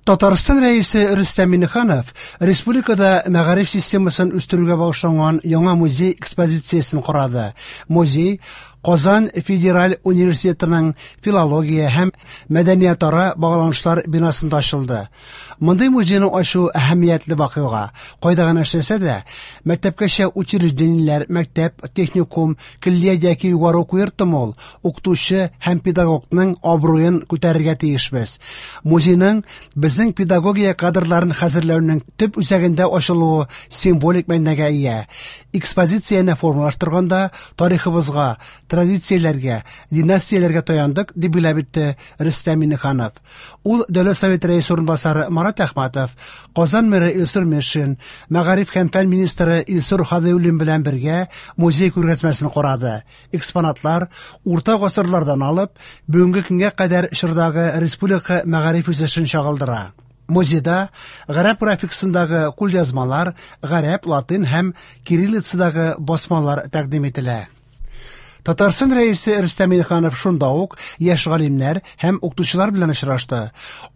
Татарстан Рәисе Рөстәм Миңнеханов республикада мәгариф системасын үстерүгә багышланган яңа музей экспозициясен карады. Музей Казан федераль университетының филология һәм мәдәниятара багланышлар бинасында ачылды. Мондый музейны ачу әһәмиятле вакыйга. Кайда гына эшләсә дә, мәктәпкәчә учреждениеләр, мәктәп, техникум, көллият яки югары уку йортымы ул, укытучы һәм педагогның абруен күтәрергә тиешбез. Музейның безнең педагогия кадрларын хәзерләүнең төп үзәгендә ачылуы символик мәгънәгә ия. Экспозицияне формалаштырганда тарихыбызга, традицияләргә, династияләргә таяндык, дип билгеләп үтте Рөстәм Миңнеханов. Ул Дәүләт Советы рәисе урынбасары Марат Әхмәтов, Казан мэры Илсур Метшин, мәгариф һәм фән министры Илсур Һадиуллин белән бергә музей күргәзмәсен карады. Экспонатлар урта гасырлардан алып бүгенге көнгә кадәр чордагы республика мәгариф үсешен чагылдыра. Музейда гарәп графикасындагы кулъязмалар, гарәп, латин һәм кириллицадагы басмалар тәкъдим ителә. Татарстан Рәисе Рөстәм Миңнеханов шунда ук яшь галимнәр һәм укытучылар белән очрашты.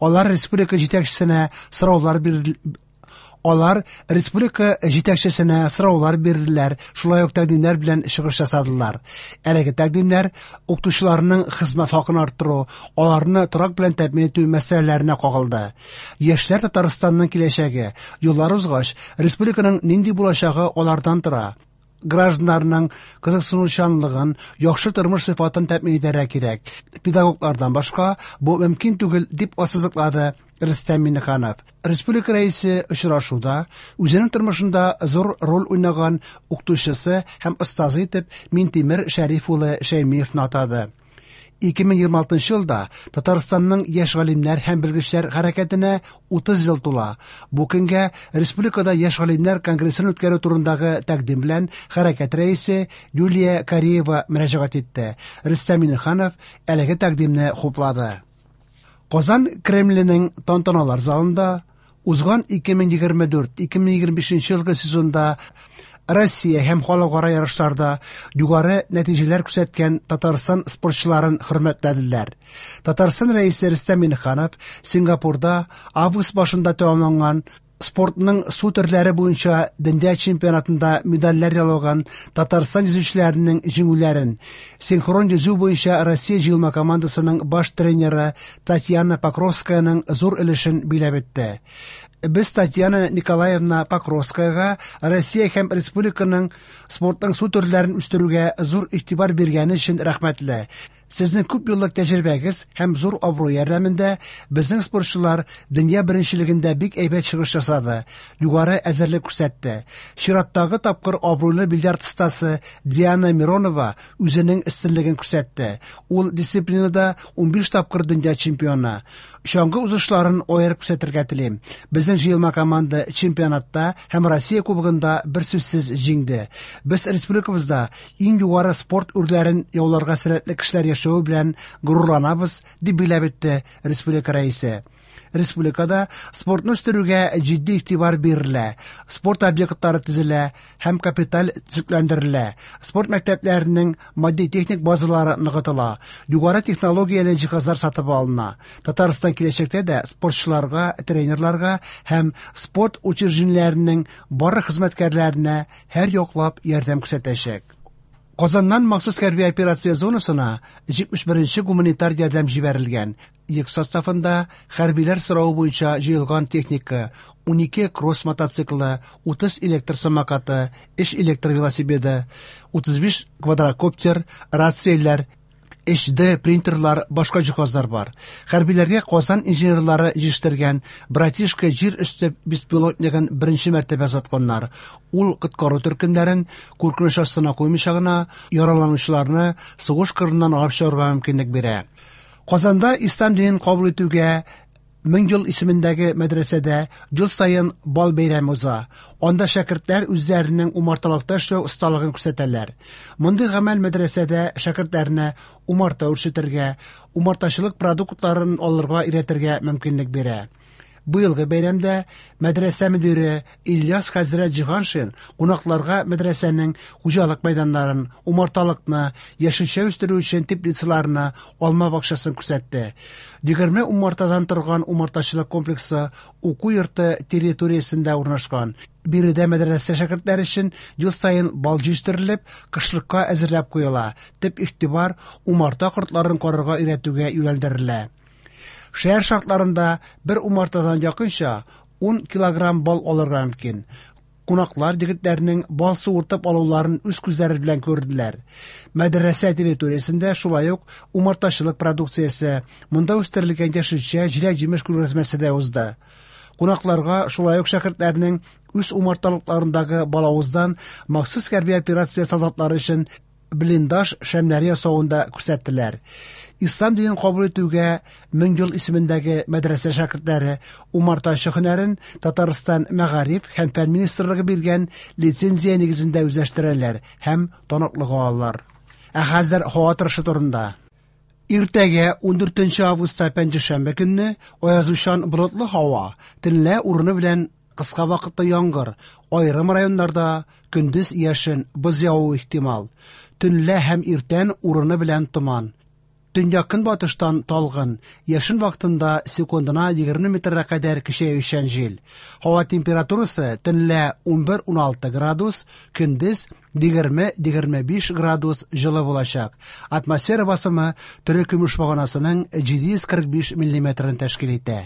Алар республика җитәкчесенә сораулар бирде. Алар республика җитәкчесенә сораулар бирделәр, шулай ук тәкъдимнәр белән чыгыш ясадылар. Әлеге тәкъдимнәр укытучыларның хезмәт хакын арттыру, аларны торак белән тәэмин итү мәсьәләләренә кагылды. Яшьләр Татарстанның киләчәге, юллар узгач, республиканың нинди булачагы алардан тора. Гражданнарның кызыксынучанлыгын, яхшы тормыш сыйфатын тәэмин итәргә кирәк. Педагоглардан башка бу мөмкин түгел, дип ассызыклады Рөстәм Миңнеханов. Республика Рәисе очрашуда үзенең тормышында зур роль уйнаган укытучысы һәм остазы итеп Минтимер Шәриф улы Шәймиевны атады. 2026 елда Татарстанның яшь галимнәр һәм белгечләр хәрәкәтенә 30 ел тула. Бу көнгә республикада яшь галимнәр конгрессын үткәрү турындагы тәкъдим белән хәрәкәт рәисе Юлия Кариева мөрәҗәгать итте. Рөстәм Миңнеханов әлеге тәкъдимне хуплады. Казан Кремленең тантаналар залында узган 2024-2025 елгы сезонда Россия һәм халыкара ярышларда югары нәтиҗәләр күрсәткән Татарстан спортчыларын хөрмәтләделәр. Татарстан Рәисе Рөстәм Миңнеханов Сингапурда август башында тәмамланган спортның су төрләре буенча дөнья чемпионатында медальләр яулаган Татарстан йөзүчеләренең җиңүләрен синхрон йөзү буенча Россия җыелма командасының баш тренеры Татьяна Покровскаяның зур өлешен биләп үтте. Без Татьяна Николаевна Покровскаяга Россия һәм республиканың спортның су төрләрен үстерүгә зур игътибар биргәне өчен рәхмәтле. Сезнең күп еллык тәҗрибәгез һәм зур абруй ярдәмендә безнең спортчылар дөнья беренчелегендә бик әйбәт чыгыш ясады, югары әзерлек күрсәтте. Чираттагы тапкыр абруйлы бильярд остасы Диана Миронова үзенең өстенлеген күрсәтте. Ул дисциплинада 15 тапкыр дөнья чемпионы. Чаңгы узышларын аерып күрсәтергә телим. Безнең җыелма команда чемпионатта һәм Россия кубогында берсүзсез җиңде. Без республикабызда иң югары спорт үрләрен яуларга сәләтле кешеләр яшәве белән горурланабыз, дип билгеләп үтте республика рәисе. Республикада спортны үстерүгә җитди игътибар бирелә, спорт объектлары төзелә һәм капиталь төзекләндерелә, спорт мәктәпләренең матди-техник базалары ныгытыла, югары технологияле җиһазлар сатып алына. Татарстан киләчәктә дә спортчыларга, тренерларга һәм спорт учреждениеләренең барлык хезмәткәрләренә һәр яклап ярдәм күрсәтәчәк. Казаннан махсус хәрби операция зонасына 71 гуманитар ярдәм җибәрелгән. Йөк составында хәрбиләр соравы буенча җыелган техника: 12 кросс мотоциклы, 30 электр самокаты, 3 электр велосипеды, 35 квадрокоптер, рацияләр, HD принтерлар, башка җиһазлар бар. Хәрбиләргә Казан инженерлары җитештергән Братишка җир өсте беспилотнигын беренче мәртәбә озатканнар. Ул коткару төркемнәрен куркыныч астына куймыйча гына яраланучыларны сугыш кырыннан алып чыгарга мөмкинлек бирә. Казанда ислам динен кабул итүгә 1000 ел исемендәге мәдрәсәдә ел саен бал бәйрәме уза. Анда шәкертләр үзләренең умарталыкта эшләү осталыгын күрсәтәләр. Мондый гамәл мәдрәсәдә шәкертләрне умарта үрчетергә, умартачылык продуктларын алырга өйрәтергә мөмкинлек бирә. Быелгы бәйрәмдә мәдрәсә мөдире Ильяс хәзрәт Җиһаншин кунакларга мәдрәсәнең хуҗалык мәйданнарын, умарталыкны, яшелчә үстерү өчен теплицаларны, алма бакчасын күрсәтте. 20 умартадан торган умартачылык комплексы уку йорты территориясендә урнашкан. Биредә мәдрәсә шәкертләре өчен ел саен бал җитештерелеп, кышлыкка әзерләп куела. Төп игътибар умарта кортларын карарга өйрәтүгә юнәлдерелә. Шәһәр шартларында бер умартадан якынча 10 килограмм бал алырга мөмкин. Кунаклар егетләрнең бал суыртып алуларын үз күзләре белән күрделәр. Мәдрәсә территориясендә шулай ук умартачылык продукциясе, монда үстерелгән яшелчә, җиләк-җимеш күргәзмәсе дә узды. Кунакларга шулай ук шәкертләрнең үз умарталыкларындагы балавыздан махсус хәрби операция солдатлары өчен блиндаж шәмнәре ясавын да күрсәттеләр. Ислам динен кабул итүгә 1000 ел исемендәге мәдрәсә шәкертләре умартачы һөнәрен Татарстан Мәгариф һәм фән министрлыгы биргән лицензия нигезендә үзләштерәләр һәм таныклык алалар. Ә хәзер һава торышы турында. Иртәгә 14 августта пәнҗешәмбе көнне аязучан болытлы һава, төнлә урыны белән кыска вакытлы яңгыр, аерым районнарда көндез яшен, боз явуы ихтимал. Төнлә һәм иртән урыны белән томан. Төньяк-көнбатыштан талгын, яшен вакытында секундына 20 метрга кадәр көчәючән җил. Һава температурасы төнлә 11-16 градус, көндез 20-25 градус җылы булачак. Атмосфера басымы терекөмеш баганасының 745 миллиметрын тәшкил итә.